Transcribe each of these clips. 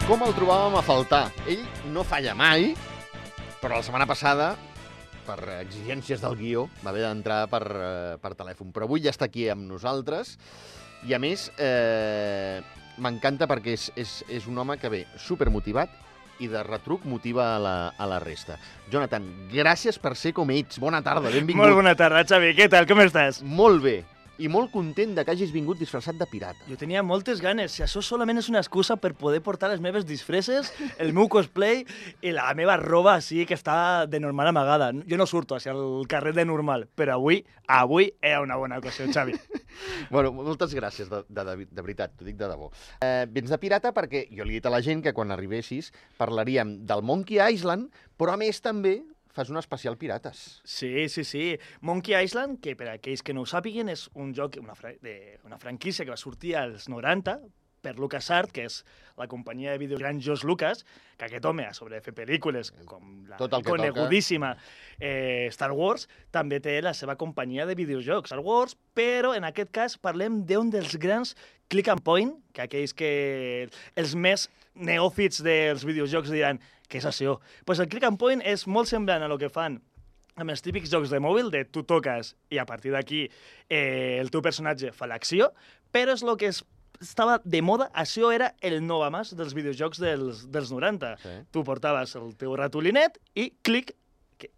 Com el trobàvem a faltar? Ell no falla mai, però la setmana passada, per exigències del guió, va haver d'entrar per telèfon. Però avui ja està aquí amb nosaltres i, a més, m'encanta perquè és un home que ve supermotivat i de retruc motiva a la resta. Jonathan, gràcies per ser com ets. Bona tarda, benvingut. Molt bona tarda, Xavi. Què tal? Com estàs? Molt bé. I molt content de que hagis vingut disfressat de pirata. Jo tenia moltes ganes. Si això solament és una excusa per poder portar les meves disfresses, el meu cosplay i la meva roba així que està de normal amagada. Jo no surto hacia el carrer de normal, però avui era una bona ocasió, Xavi. Bueno, moltes gràcies, de veritat, t'ho dic de debò. Vens de pirata perquè jo li he dit a la gent que quan arribessis parlaríem del Monkey Island, però a més també fas un especial pirates. Sí. Monkey Island, que per aquells que no ho sàpiguen, és un joc, una franquícia que va sortir als 90 per LucasArts, que és la companyia de vídeos gran George Lucas, que aquest home, a sobre de fer pel·lícules com la conegudíssima Star Wars, també té la seva companyia de videojocs, Star Wars, però en aquest cas parlem d'un dels grans click and point, que aquells que els més neòfits dels videojocs diran què és això? Pues el click and point és molt semblant a lo que fan amb els típics jocs de mòbil, de tu toques i a partir d'aquí el teu personatge fa l'acció, però és el que estava de moda, això era el novamàs dels videojocs dels 90. Sí. Tu portaves el teu ratolinet i clic,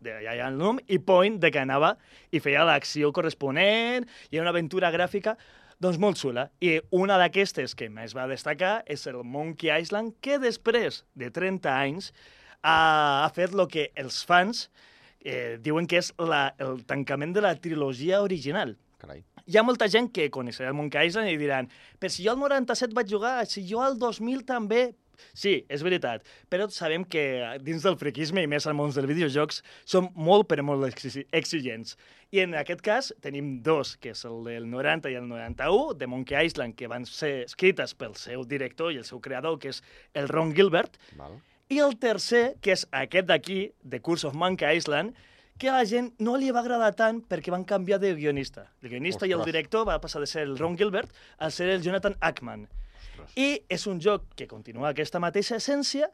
d'allà hi ha el nom, i point de que anava i feia l'acció corresponent, i era una aventura gràfica doncs molt xula. I una d'aquestes que més va destacar és el Monkey Island, que després de 30 anys ha fet el que els fans diuen que és el tancament de la trilogia original. Carai. Hi ha molta gent que coneixerà el Monkey Island i diran però si jo al 97 vaig jugar, si jo al 2000 també... Sí, és veritat, però sabem que dins del friquisme i més al món dels videojocs som molt, però molt exigents. I en aquest cas tenim dos, que és el del 90 i el 91, de Monkey Island, que van ser escrites pel seu director i el seu creador, que és el Ron Gilbert. Val. I el tercer, que és aquest d'aquí, The Curse of Monkey Island, que a la gent no li va agradar tant perquè van canviar de guionista. El guionista i el director va passar de ser el Ron Gilbert a ser el Jonathan Ackman. I és un joc que continua aquesta mateixa essència,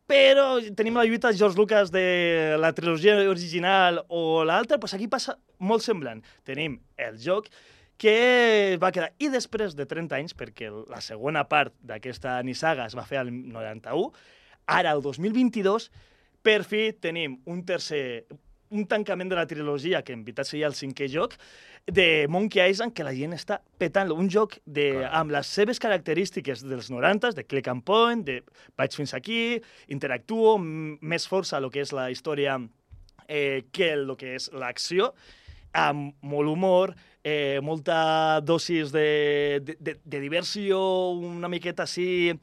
però tenim la lluita de George Lucas de la trilogia original o l'altra, doncs aquí passa molt semblant. Tenim el joc que va quedar... I després de 30 anys, perquè la segona part d'aquesta nissaga es va fer al 91, ara, el 2022, per fi tenim un tancament de la trilogia, que en veritat seria el cinquè joc, de Monkey Island, que la gent està petant-lo. Un joc amb les seves característiques dels 90, de click and point, de vaig fins aquí, interactuo, més força a lo que és la història que el que és l'acció, amb molt humor, molta dosis de diversió, una miqueta així...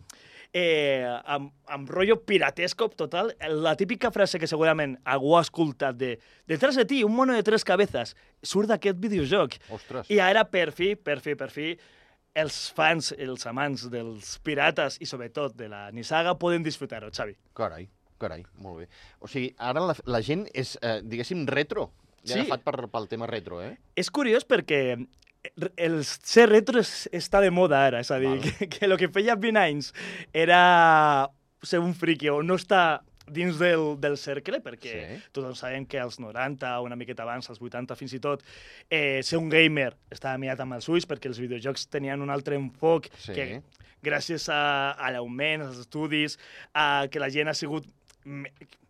amb rotllo piratesco total, la típica frase que segurament algú ha escoltat de detrás de ti, un mono de 3 cabezas, surt d'aquest videojoc. Ostres. I ara, per fi, els fans, els amants dels pirates i sobretot de la nissaga poden disfrutar-ho, Xavi. Carai, molt bé. O sigui, ara la gent és, diguéssim, retro. Ja agafat pel tema retro, eh? És curiós perquè el ser retro està de moda ara, és a dir, que el que feia 20 anys era ser un friqui o no estar dins del cercle, perquè tothom sabem que als 90, una miqueta abans, als 80 fins i tot, ser un gamer estava mirat amb els ulls perquè els videojocs tenien un altre enfoc que gràcies a l'augment, als estudis, a que la gent ha sigut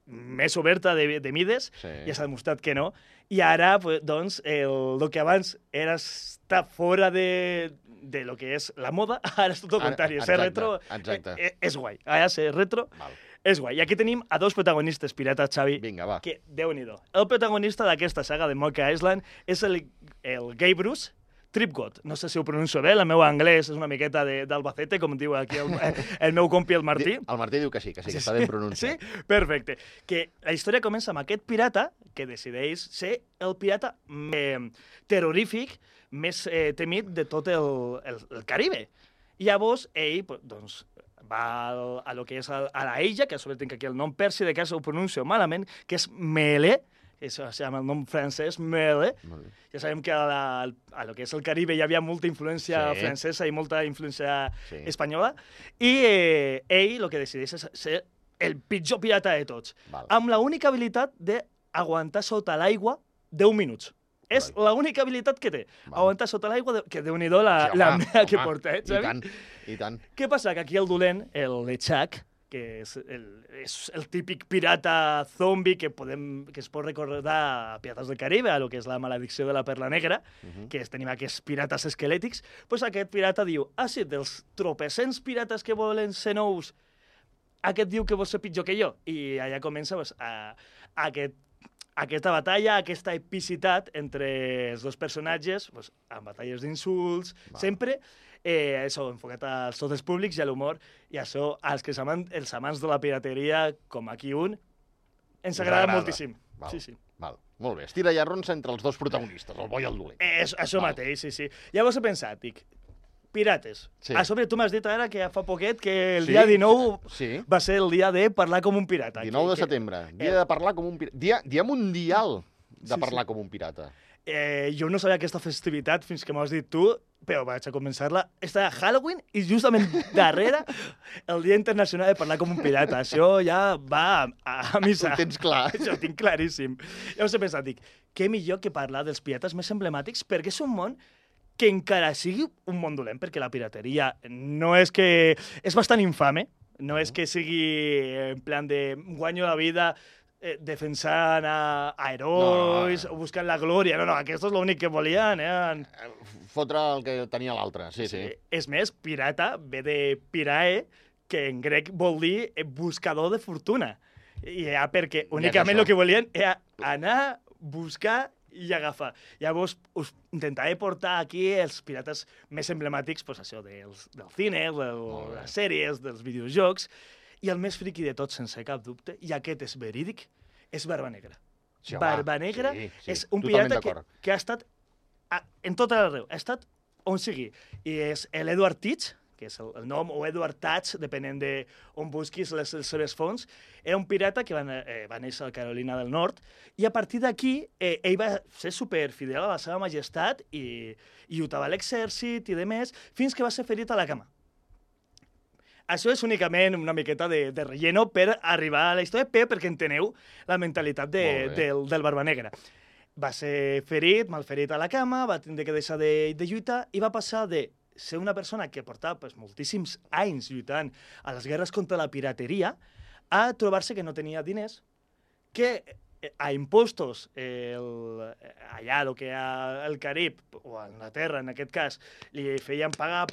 més oberta de mides, ja s'ha demostrat que no, i ara, doncs, el que abans era estar fora de lo que és la moda, ara és tot el contrari. Ser retro és guai. Ara ser retro és guai. I aquí tenim a dos protagonistes pirates, Xavi. Vinga, va. Que, Déu-n'hi-do. El protagonista d'aquesta saga de Monkey Island és el Guy Bruce Tripgod. No sé si ho pronuncio bé, el meu anglès és una miqueta d'Albacete, com diu aquí el meu compi, el Martí. El Martí diu que sí, que està ben pronunciat. Sí? Perfecte. Que la història comença amb aquest pirata que decideix ser el pirata terrorífic més temit de tot el Caribe. I llavors ell, doncs, va a lo que és a la illa, que a sobre tinc aquí el nom persi, de cas ho pronuncio malament, que és Melee, amb el nom francès, Mele. Molt bé. Ja sabem que a lo que és el Caribe hi havia molta influència francesa i molta influència espanyola, i ell el que decideix és ser el pitjor pirata de tots, amb l'única habilitat d'aguantar sota l'aigua 10 minuts. És l'única habilitat que té. Aguantar sota l'aigua, que Déu-n'hi-do la mea que porta, Xavi? I tant. Què passa? Que aquí el dolent, el Lechak, que és el típic pirata zombi que es pot recordar a Pirates del Caribe, a lo que és la maledicció de la Perla Negra, que tenim aquests pirates esquelètics, doncs aquest pirata diu, sí, dels tropecents pirates que volen ser nous, aquest diu que vol ser pitjor que jo. I allà comença aquesta batalla, aquesta epicitat entre els dos personatges, amb batalles d'insults, sempre això enfocat als tots els públics i a l'humor, i això els amants de la pirateria, com aquí ens agrada moltíssim. Sí. Molt bé, estira llarrons entre els dos protagonistes, el bo i el dolent. Això mateix, sí. Llavors he pensat, dic, pirates. A sobre tu m'has dit ara que fa poquet que el dia 19 va ser el dia de parlar com un pirata. 19 de setembre, dia de parlar com un pirata. Dia mundial de parlar com un pirata. Jo no sabia aquesta festivitat fins que m'has dit tu, però vaig a començar-la. Està a Halloween i justament darrere el Dia Internacional de Parlar com un Pirata. Això ja va a missa. Ho tens clar. Això ho tinc claríssim. Llavors he pensat, dic, què millor que parlar dels pirates més emblemàtics, perquè és un món que encara sigui un món dolent, perquè la pirateria no és que... És bastant infame, no és que sigui en plan de guanyo la vida defensant a herois o buscant la glòria. No, aquests és l'únic que volien. Fotre el que tenia l'altre, sí. És més, pirata ve de pirae, que en grec vol dir buscador de fortuna. I perquè únicament el que volien era anar, buscar i agafar. Llavors, us intentaré portar aquí els pirates més emblemàtics, això, del cine, de les sèries, dels videojocs, i el més friqui de tot, sense cap dubte, i aquest és verídic, és Barba Negra. Barba Negra és un pirata que ha estat en tot arreu, ha estat on sigui. I és l'Edward Teach, que és el nom, o Edward Teach, depenent d'on busquis les seves fonts. Era un pirata que va néixer a Carolina del Nord, i a partir d'aquí ell va ser superfidel a la seva majestat i lluitava a l'exèrcit i demés, fins que va ser ferit a la cama. Això és únicament una miqueta de relleno per arribar a la història, perquè enteneu la mentalitat del Barba Negra. Va ser ferit, malferit a la cama, va tindre que deixar de lluitar i va passar de ser una persona que portava moltíssims anys lluitant a les guerres contra la pirateria a trobar-se que no tenia diners, que a impostos, allà, el que al Carib, o a Anglaterra, en aquest cas, li feien pagar,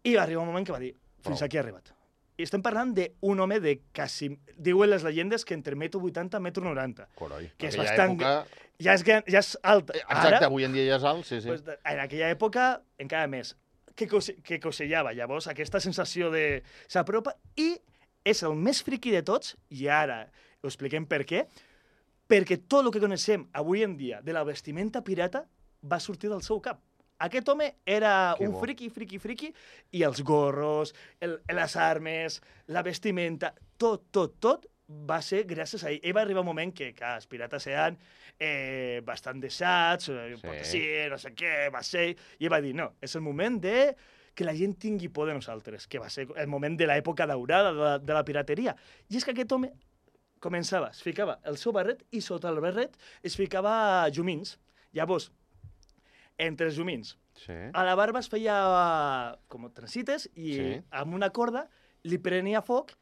i va arribar un moment que va dir, fins aquí ha arribat. I estem parlant d'un home de quasi... Diuen les llegendes que entre 1,80 m i 1,90 m. Que és bastant... Ja és alt. Exacte, avui en dia ja és alt, sí. En aquella època, encara més, que cosellava. Llavors, aquesta sensació de... S'apropa i és el més friqui de tots, i ara ho expliquem per què, perquè tot el que coneixem avui en dia de la vestimenta pirata va sortir del seu cap. Aquest home era un friqui, i els gorros, les armes, la vestimenta, tot va ser gràcies a ell. Ell va arribar un moment que els pirates eren bastant deixats, no sé què, va ser... I ell va dir, no, és el moment que la gent tingui por de nosaltres, que va ser el moment de l'època daurada de la pirateria. I és que aquest home començava, es ficava el seu barret i sota el barret es ficava llumins. Llavors, entre els llumins, a la barba es feia com trencites i amb una corda li prenia foc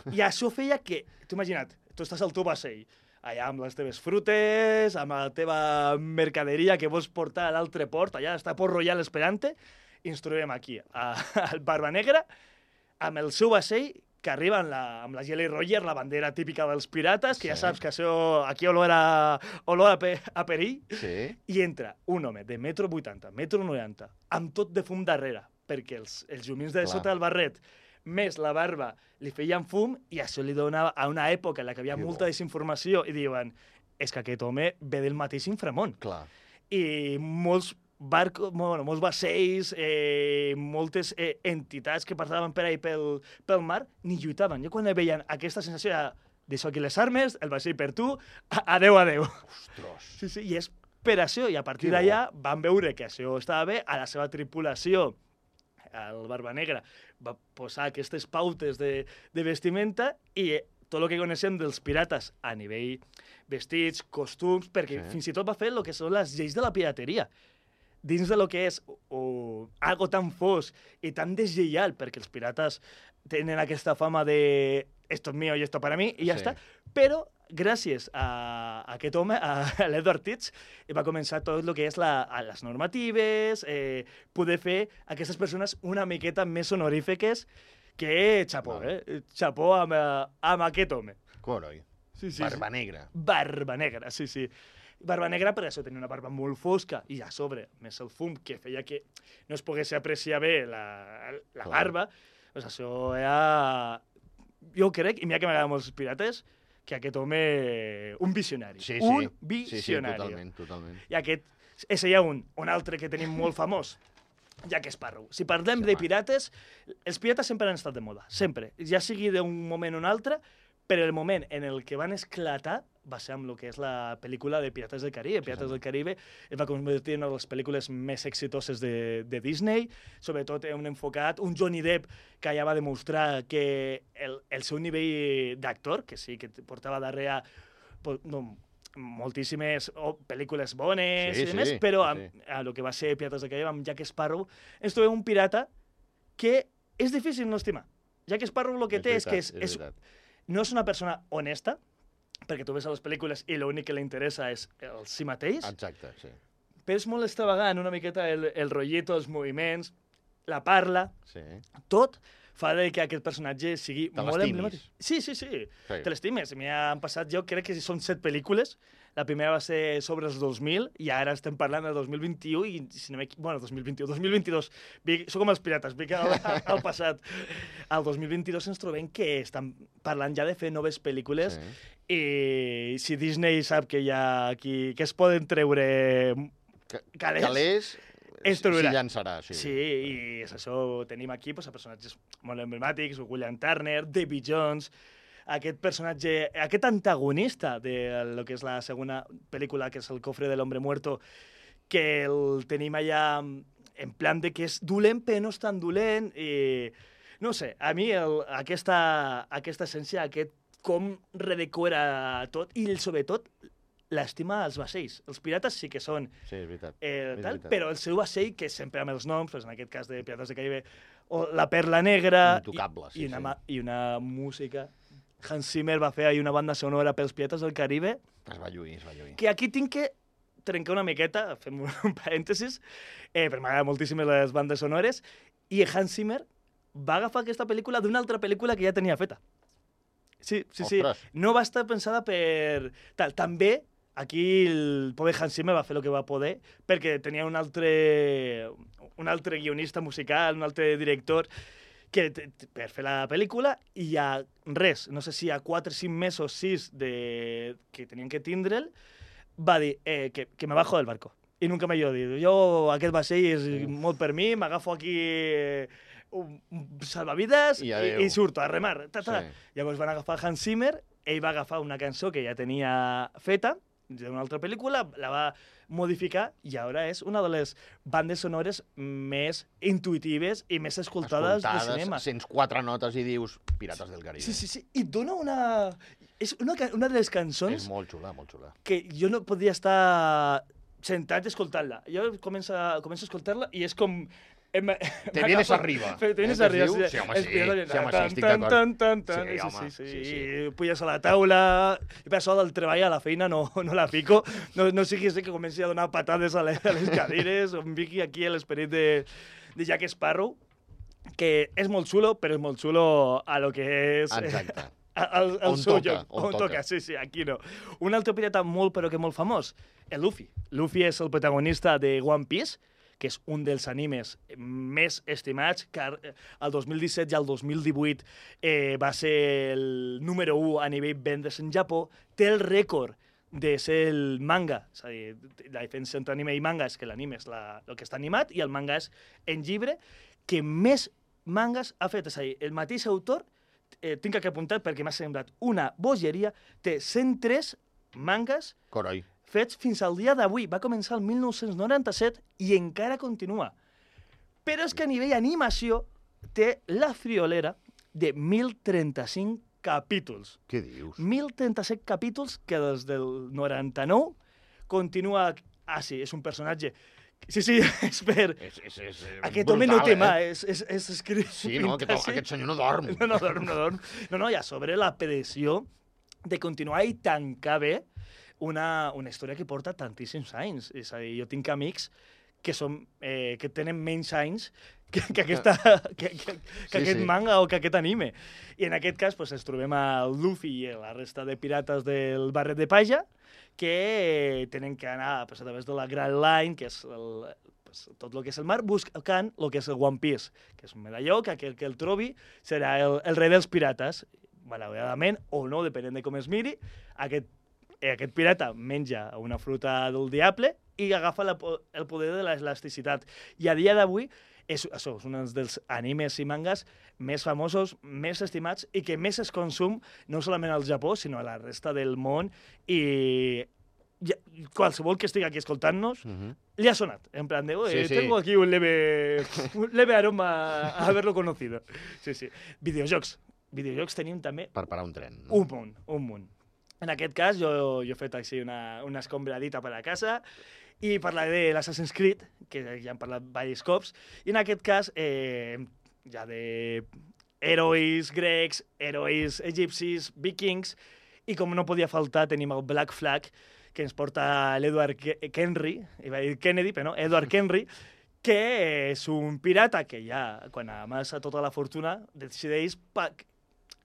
i això feia que, t'ho imagina't, tu estàs al teu vaixell, allà amb les teves frutes, amb la teva mercaderia que vols portar a l'altre port, allà està Port Royal esperant-te, i ens trobem aquí, al Barba Negra, amb el seu vaixell, que arriba amb la Jolly Roger, la bandera típica dels pirates, que ja saps que això aquí olor a perill, i entra un home de 1,80 m, 1,90 m, amb tot de fum darrere, perquè els llumins de sota del barret, més la barba, li feien fum, i això li donava a una època en la que hi havia molta desinformació, i diuen, és que aquest home ve del mateix inframón. I molts vaixells, moltes entitats que passaven per ahí pel mar, ni lluitaven. Jo quan veien aquesta sensació de deixo aquí les armes, el vaixell per tu, adeu, adeu. Ostres. Sí, sí, i és per això, i a partir Que bo. d'allà van veure que això estava bé, a la seva tripulació, el Barba Negra, va posar aquestes pautes de vestimenta i tot el que coneixem dels pirates a nivell vestits, costums, perquè Sí. fins i tot va fer el que són les lleis de la pirateria. Dins de lo que és algo tan fos i tan deslleial, perquè els pirates tenen aquesta fama de esto es mío y esto para mí, i ja Sí. està. Però gràcies a aquest home, a l'Edward Teach, va començar tot el que és les normatives, poder fer aquestes persones una miqueta més honorífiques que xapó, xapó amb aquest home. Coroi. Sí, sí, Barba Negra. Barba Negra, sí, sí. Barba Negra, per això tenia una barba molt fosca i a sobre, més el fum, que feia que no es pogués apreciar bé la barba, doncs això era... Jo crec, i mira que m'agraden molts pirates, que aquest home... Un visionari. Sí, sí. Un Sí, visionari. totalment, totalment. I aquest és ja un altre que tenim molt famós, Jack Sparrow. Si parlem de pirates, els pirates sempre han estat de moda, sempre. Ja sigui d'un moment o un altre, però el moment en el que van esclatar va ser amb el que és la pel·lícula de Pirates del Caribe. Pirates del Caribe es va convertir en una de les pel·lícules més exitoses de Disney, sobretot un enfocat, un Johnny Depp que ja va demostrar que el seu nivell d'actor, que sí, que portava darrere moltíssimes pel·lícules bones Sí, i demés, sí, però sí. a lo que va ser Pirates del Caribe amb Jack Sparrow, ens trobem un pirata que és difícil no estimar. Jack Sparrow el que té és que no és una persona honesta, perquè tu ves a les pel·lícules i l'únic que li interessa és el si mateix, Exacte, sí. però és molt extravagant, una miqueta el rotllito, els moviments, la parla, Sí. tot fa de que aquest personatge sigui Te molt l'estimis. emblemàtic. Sí, sí, sí, Sí. te l'estimes. M'hi han passat, jo crec que són 7 pel·lícules. La primera va ser sobre els 2000 i ara estem parlant del 2021 i, si no bueno, 2021, 2022. Sóc com els pirates, vinc al passat. Al 2022 ens trobem que estan parlant ja de fer noves pel·lícules i si Disney sap que hi ha aquí, que es poden treure calés, es s'hi trobarà. llançarà, sí. Sí, i és això, tenim aquí pues, personatges molt emblemàtics, William Turner, Davy Jones, aquest personatge, aquest antagonista de lo que és la segona pel·lícula, que és El cofre de l'hombre muerto, que el tenim allà en plan de que és dolent, però no és tan dolent, i no sé, a mi aquesta essència, aquest com redecora tot, i sobretot l'estima als vaixells. Els pirates sí que són Sí, és veritat. però el seu vaixell, que sempre amb els noms, doncs en aquest cas de Pirates del Caribe, o la Perla Negra, Intocable, sí, i una música. Hans Zimmer va fer ahir una banda sonora pels Pirates del Caribe, Es va lluir, es va lluir. que aquí tinc que trencar una miqueta, fem un parèntesis, però m'agraden moltíssim les bandes sonores, i Hans Zimmer va agafar aquesta pel·lícula d'una altra pel·lícula que ja tenia feta. Sí, sí, sí. Ostres. No va estar pensada per... També, aquí el pobre Hans Zimmer va fer el que va poder, perquè tenia un altre guionista musical, un altre director, per fer la pel·lícula, i hi ha res, no sé si hi ha 4 o 5 mesos, 6, que tenien que tindre'l, va dir que me bajo del barco. I nunca m'he dit, jo aquest vaixell és molt per mi, m'agafo aquí un salvavides i surto a remar. Sí. Llavors van agafar Hans Zimmer, ell va agafar una cançó que ja tenia feta, d'una altra pel·lícula, la va modificar i ara és una de les bandes sonores més intuitives i més escoltades de cinema. Sents 4 notes i dius Pirates del Caribe. Sí, sí, sí. I dona una... És una de les cançons... És molt xula, molt xula. Que jo no podia estar sentat escoltant-la. Jo començo a escoltar-la i és com... Te vienes arriba. Te vienes arriba. Sí, home, sí, estic d'acord. Sí. Puges a la taula, i per això del treball a la feina no la fico. No sigui que comenci a donar patades a les cadires, o em fiqui aquí l'esperit de Jack Sparrow, que és molt xulo, però és molt xulo a lo que és... Exacte. El seu joc. On toca. Sí, aquí no. Un altre pirata molt, però que molt famós, el Luffy. Luffy és el protagonista de One Piece, que és un dels animes més estimats, que el 2017 i el 2018 va ser el número 1 a nivell vendes en Japó, té el rècord de ser el manga, és a dir, la diferència entre anime i manga és que l'anime és el que està animat i el manga és en llibre, que més mangas ha fet, és a dir, el mateix autor tinc aquí apuntat perquè m'ha semblat una bogeria, té 103 mangas Coroi. fets fins al dia d'avui. Va començar el 1997 i encara continua. Però és que a nivell animació té la friolera de 1.035 capítols. Què dius? 1.037 capítols que des del 99 continua... Ah, sí, és un personatge... Sí, és per... És Aquest home no té mà, és escrit... Sí, no, aquest senyor no dorm. No dorm. No, i a sobre la predicció de continuar i tancar bé una història que porta tantíssims anys. És a dir, jo tinc amics que tenen menys anys que aquest manga o que aquest anime. I en aquest cas ens trobem a Luffy i la resta de pirates del barret de Paja que tenen que anar a través de la Grand Line, que és tot el que és el mar, buscant el que és el One Piece, que és un medalló que aquell que el trobi serà el rei dels pirates. Malauradament, o no, depenent de com es miri, aquest pirata menja una fruta del diable i agafa el poder de l'elasticitat. I a dia d'avui és un dels animes i mangas més famosos, més estimats i que més es consum no solament al Japó, sinó a la resta del món. I qualsevol que estigui aquí escoltant-nos li ha sonat. En plan de, tengo aquí un leve aroma a haberlo conocido. Sí. Videojocs tenim també... Per parar un tren. No? Un munt. En aquest cas, jo he fet així una escombradita per a casa i parlaré de l'Assassin's Creed, que ja hem parlat diversos cops, i en aquest cas, ja de herois grecs, herois egipcis, vikings, i com no podia faltar, tenim el Black Flag, que ens porta l'Edward Kenry, iba a dir Kennedy, però no, Edward Kenry, que és un pirata que ja, quan amassa tota la fortuna, decideix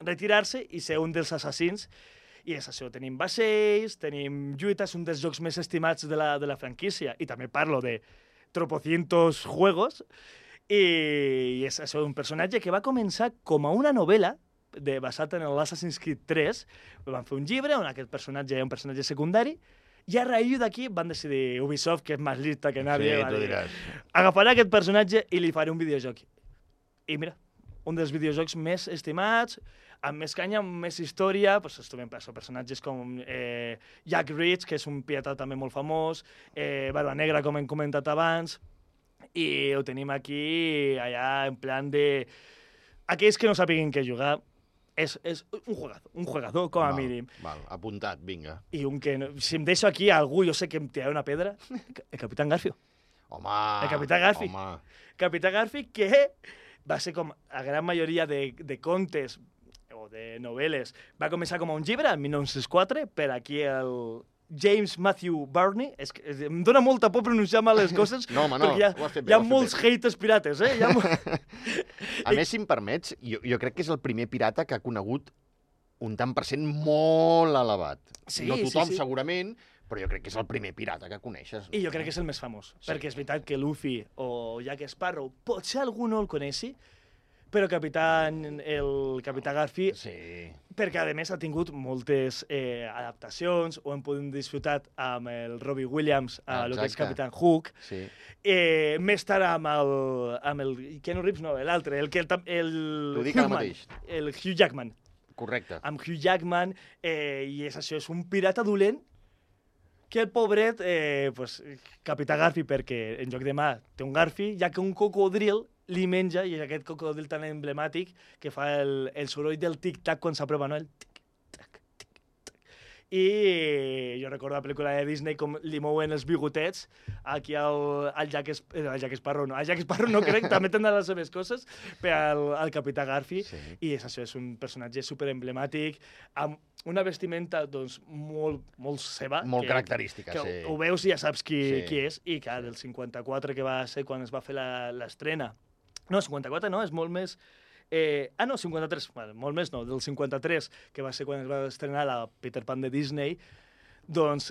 retirar-se i ser un dels assassins. I és això, tenim vaixells, tenim lluites, un dels jocs més estimats de la franquícia, i també parlo de tropocientos juegos, i és això, un personatge que va començar com a una novel·la basat en l'Assassin's Creed 3, van fer un llibre on aquest personatge era un personatge secundari, i a raïs d'aquí van decidir Ubisoft, que és més lista que nadie, sí, tu diràs. Agafarà aquest personatge i li faré un videojoc. I mira, un dels videojocs més estimats, amb més canya, amb més història, es trobem personatges com Jack Reach, que és un pirata també molt famós, Barba Negra, com hem comentat abans, i ho tenim aquí, allà, en plan de... Aquells que no sàpiguen què jugar, és un jugador, com a mínim. Val, apuntat, vinga. I si em deixo aquí algú, jo sé que em tirarà una pedra, el Capitán Garfio. Home! El Capità Garfi. Capità Garfi, que va ser com la gran majoria de contes o de novel·les. Va començar com a un llibre, en 1904, per aquí el James Matthew Barney. Em dóna molta por pronunciar mal les coses, no, home, no, perquè hi ha molts haters pirates, A més, si em permets, jo crec que és el primer pirata que ha conegut un tant per cent molt elevat. Sí, no tothom, sí. Segurament, però jo crec que és el primer pirata que coneixes. I jo crec que és el més famós, perquè és veritat que Luffy o Jack Sparrow, potser algú no el coneixi, però el Capità Garfi, perquè a més ha tingut moltes adaptacions, ho hem pogut disfrutar amb el Robbie Williams, el que és Capitán Hook, més tard amb el Keanu Reeves, no, l'altre, el Hugh Jackman. Correcte. Amb Hugh Jackman, i és això, és un pirata dolent que el pobret, Capità Garfi, perquè en lloc de mà té un garfi, ja que un cocodril li menja, i és aquest cocodril tan emblemàtic que fa el soroll del tic-tac quan s'aprova, no? El tic-tac, tic-tac. I jo recordo la pel·lícula de Disney com li mouen els bigotets aquí al Jack Sparrow, no. El Jack Sparrow no crec, també tindrà les seves coses, per al Capità Garfi, i és això, és un personatge superemblemàtic, amb una vestimenta, doncs, molt seva. Molt característica, sí. Ho veus i ja saps qui és, i que del 54, que va ser quan es va fer l'estrena. No, 54 no, és molt més... 53, molt més no, del 53, que va ser quan es va estrenar la Peter Pan de Disney, doncs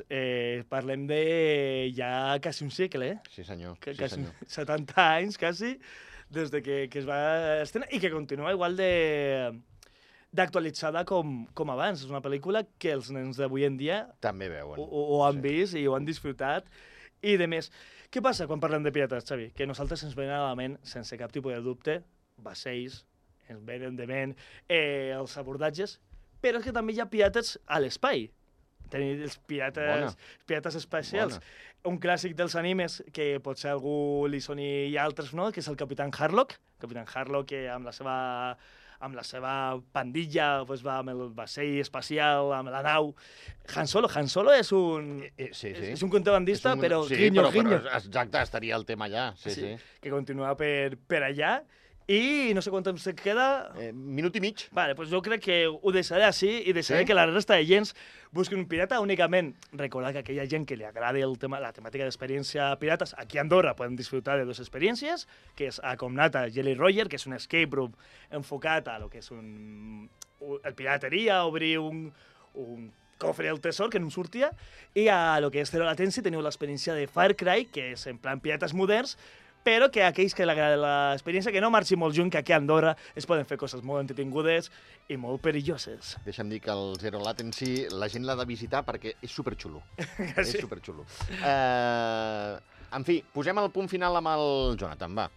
parlem de ja quasi un segle, Sí, senyor. 70 anys, quasi, des de que es va estrenar, i que continua igual d'actualitzada com abans. És una pel·lícula que els nens d'avui en dia també veuen. Ho han vist i ho han disfrutat, i de més. Què passa quan parlem de pirates, Xavi? Que a nosaltres ens venen a la ment, sense cap tipus de dubte, vaixells, ens venen de ment els abordatges, però és que també hi ha pirates a l'espai. Tenim els pirates espacials. Un clàssic dels animes que potser a algú li soni i altres no, que és el Capitán Harlock. Capitán Harlock que amb la seva pandilla pues, va amb el vaixell espacial, amb la nau. Han Solo és un... És un contrabandista, però guinyo. Exacte, estaria el tema allà. Sí. Que continua per allà. I no sé quant temps queda... Minut i mig. Vale, pues jo crec que ho deixaré així i deixaré que la resta de gens busquin un pirata únicament. Recordar que aquella gent que li agrada la temàtica d'experiència pirates, aquí a Andorra podem disfrutar de dues experiències, que és a Comnata Jolly Roger, que és un escape room enfocat a lo que és el pirateria, obrir un cofre del tesor, que no sortia, i a lo que és Zero Latency teniu l'experiència de Far Cry, que és en plan pirates moderns, però que aquells que l'agrada l'experiència, que no marxi molt lluny, que aquí a Andorra es poden fer coses molt entretingudes i molt perilloses. Deixa'm dir que el Zero Latency la gent l'ha de visitar perquè és superxulo. És superxulo. En fi, posem el punt final amb el Jonathan, va.